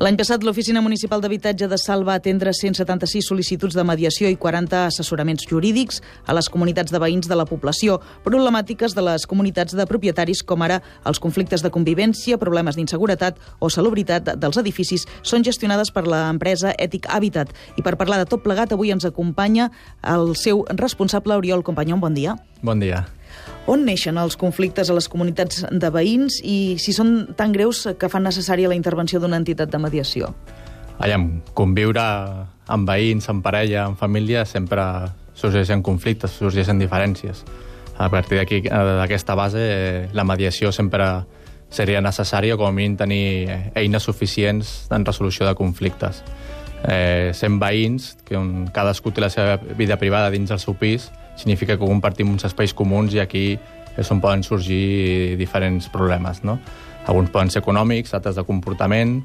L'any passat, l'Oficina Municipal d'Habitatge de Salt va atendre 176 sol·licituds de mediació i 40 assessoraments jurídics a les comunitats de veïns de la població, problemàtiques de les comunitats de propietaris, com ara els conflictes de convivència, problemes d'inseguretat o salubritat dels edificis, són gestionades per l'empresa Ètic Habitat. I per parlar de tot plegat, avui ens acompanya el seu responsable, Oriol Companyó. Bon dia. Bon dia. On neixen els conflictes a les comunitats de veïns i si són tan greus que fan necessària la intervenció d'una entitat de mediació? Conviure amb veïns, amb parella, amb família, sempre sorgeixen conflictes, sorgeixen diferències. A partir d'aquí, d'aquesta base, la mediació sempre seria necessària, com a mínim tenir eines suficients en resolució de conflictes. Sent veïns, que cadascú té la seva vida privada dins del seu pis, significa que compartim uns espais comuns i aquí és on poden sorgir diferents problemes, no? Alguns poden ser econòmics, altres de comportament,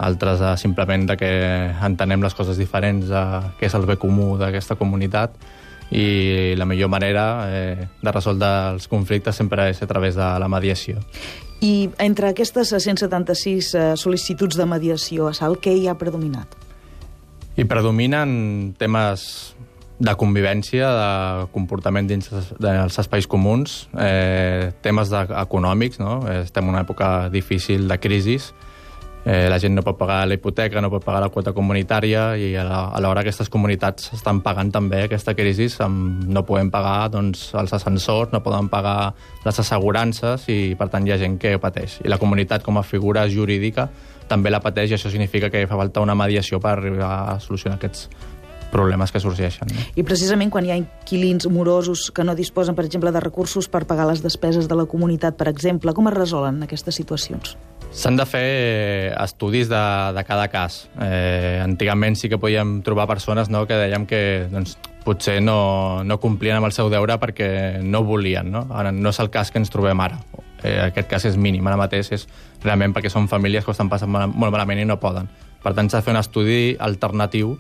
altres simplement de que entenem les coses diferents de què és el bé comú d'aquesta comunitat, i la millor manera de resoldre els conflictes sempre és a través de la mediació. I entre aquestes 176 sol·licituds de mediació a Salt, què hi ha predominat? Hi predominen temes de convivència, de comportament dins dels espais comuns, temes econòmics, no? Estem en una època difícil de crisis, la gent no pot pagar la hipoteca, no pot pagar la quota comunitària i alhora aquestes comunitats estan pagant també aquesta crisi, no podem pagar els ascensors, no poden pagar les assegurances i per tant hi ha gent que ho pateix. I la comunitat com a figura jurídica també la pateix i això significa que fa falta una mediació per arribar a solucionar aquests problemes que sorgeixen. I precisament quan hi ha inquilins morosos que no disposen, per exemple, de recursos per pagar les despeses de la comunitat, per exemple, com es resolen aquestes situacions? S'han de fer estudis de cada cas. Antigament sí que podíem trobar persones que dèiem que potser no complien amb el seu deure perquè no volien. No? Ara no és el cas que ens trobem ara. Aquest cas és mínim. Ara mateix és realment perquè són famílies que ho estan passant molt malament i no poden. Per tant, s'ha de fer un estudi alternatiu,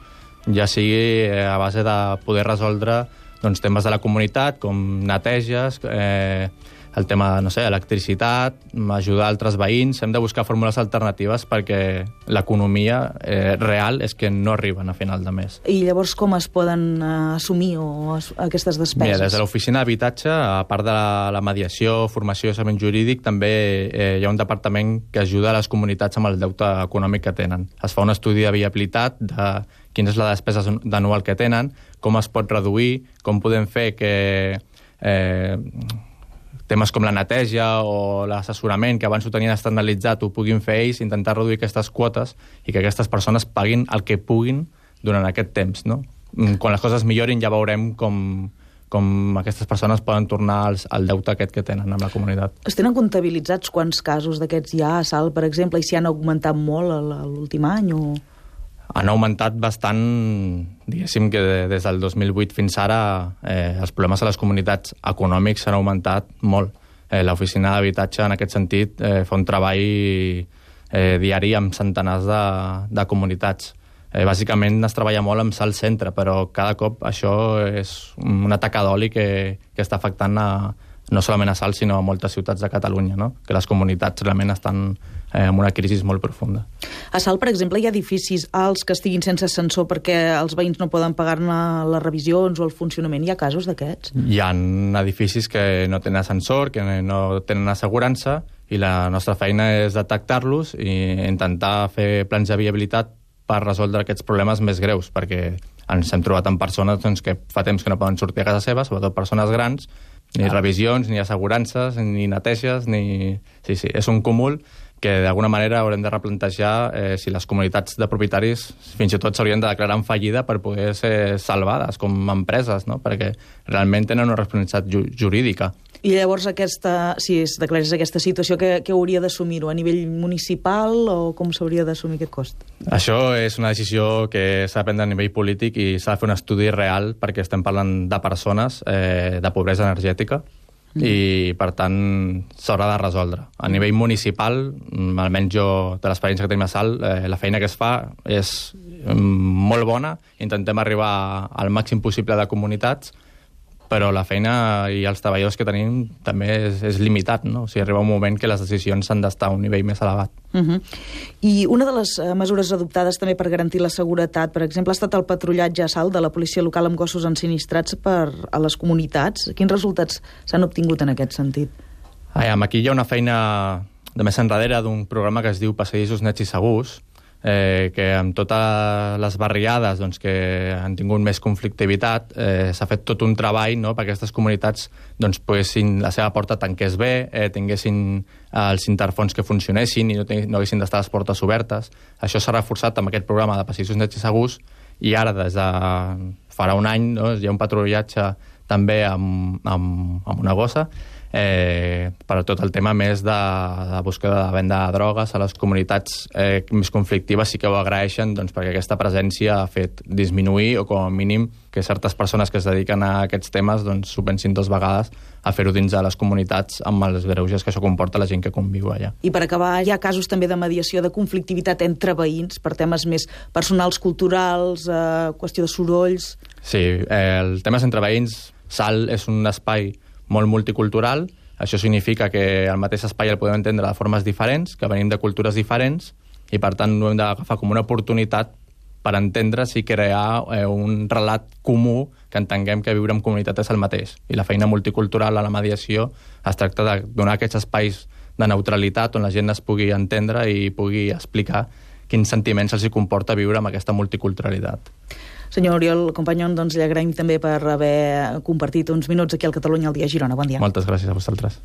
ja sigui a base de poder resoldre temes de la comunitat, com neteges, el tema, electricitat, ajudar altres veïns. Hem de buscar fórmules alternatives perquè l'economia real és que no arriben a final de mes. I llavors com es poden assumir aquestes despeses? Mira, des de l'Oficina d'Habitatge, a part de la mediació, formació i assessament jurídic, també hi ha un departament que ajuda a les comunitats amb el deute econòmic que tenen. Es fa un estudi de viabilitat de quina és la despesa anual que tenen, com es pot reduir, com podem fer que temes com la neteja o l'assessorament, que abans ho tenien externalitzat, ho puguin fer ells, intentar reduir aquestes quotes i que aquestes persones paguin el que puguin durant aquest temps. No? Quan les coses millorin ja veurem com aquestes persones poden tornar al deute aquest que tenen amb la comunitat. Es tenen comptabilitzats quants casos d'aquests hi ha a Salt, per exemple, i si han augmentat molt l'últim any? Han augmentat bastant, diguéssim que des del 2008 fins ara els problemes a les comunitats econòmics s'han augmentat molt. L'Oficina d'Habitatge en aquest sentit fa un treball diari amb centenars de comunitats. Bàsicament es treballa molt amb Salt Centre, però cada cop això és una taca d'oli que està afectant no solament a Salt, sinó a moltes ciutats de Catalunya, no? Que les comunitats realment estan en una crisi molt profunda. A Salt, per exemple, hi ha edificis alts que estiguin sense ascensor perquè els veïns no poden pagar-ne les revisions o el funcionament. Hi ha casos d'aquests? Hi ha edificis que no tenen ascensor, que no tenen assegurança, i la nostra feina és detectar-los i intentar fer plans de viabilitat per resoldre aquests problemes més greus, perquè ens hem trobat amb persones que fa temps que no poden sortir a casa seva, sobretot persones grans, ni revisions, ni assegurances, ni neteges, Sí, és un cúmul que d'alguna manera haurem de replantejar si les comunitats de propietaris fins i tot s'haurien de declarar en fallida per poder ser salvades com empreses, no? Perquè realment tenen una responsabilitat jurídica. I llavors, si es declarés aquesta situació, què hauria d'assumir-ho? A nivell municipal o com s'hauria d'assumir aquest cost? Això és una decisió que s'ha de prendre a nivell polític i s'ha de fer un estudi real perquè estem parlant de persones de pobresa energètica i, per tant, s'haurà de resoldre. A nivell municipal, almenys jo, de l'experiència que tenim a Salt, la feina que es fa és molt bona. Intentem arribar al màxim possible de comunitats però la feina i els treballadors que tenim també és limitat, no? O sigui, arriba un moment que les decisions han d'estar a un nivell més elevat. I una de les mesures adoptades també per garantir la seguretat, per exemple, ha estat el patrullatge a Salt de la policia local amb gossos ensinistrats a les comunitats. Quins resultats s'han obtingut en aquest sentit? Aquí hi ha una feina de més enrere d'un programa que es diu Passadissos Nets i Segurs, que amb totes les barriades doncs, que han tingut més conflictivitat s'ha fet tot un treball, no?, perquè aquestes comunitats doncs, poguessin, la seva porta tanqués bé, tinguessin els interfons que funcionessin i no haguessin d'estar les portes obertes. Això s'ha reforçat amb aquest programa de Passadissos Nets i Segurs, i ara des de farà un any, no?, hi ha un patrullatge també amb una gossa per tot el tema més de búsqueda de venda de drogues a les comunitats més conflictives. Sí que ho agraeixen doncs, perquè aquesta presència ha fet disminuir o com a mínim que certes persones que es dediquen a aquests temes doncs, s'ho pensin 2 vegades a fer-ho dins de les comunitats amb els greuges que això comporta la gent que conviu allà. I per acabar, hi ha casos també de mediació de conflictivitat entre veïns per temes més personals, culturals, qüestió de sorolls... Sí, el temes entre veïns, Salt és un espai molt multicultural. Això significa que el mateix espai el podem entendre de formes diferents, que venim de cultures diferents, i per tant ho hem d'agafar com una oportunitat per entendre's i crear un relat comú que entenguem que viure en comunitat és el mateix. I la feina multicultural a la mediació es tracta de donar aquests espais de neutralitat on la gent es pugui entendre i pugui explicar quins sentiments els hi comporta viure amb aquesta multiculturalitat. Senyor Oriol Companyón, doncs li agraïm també per haver compartit uns minuts aquí al Catalunya al dia a Girona. Bon dia. Moltes gràcies a vosaltres.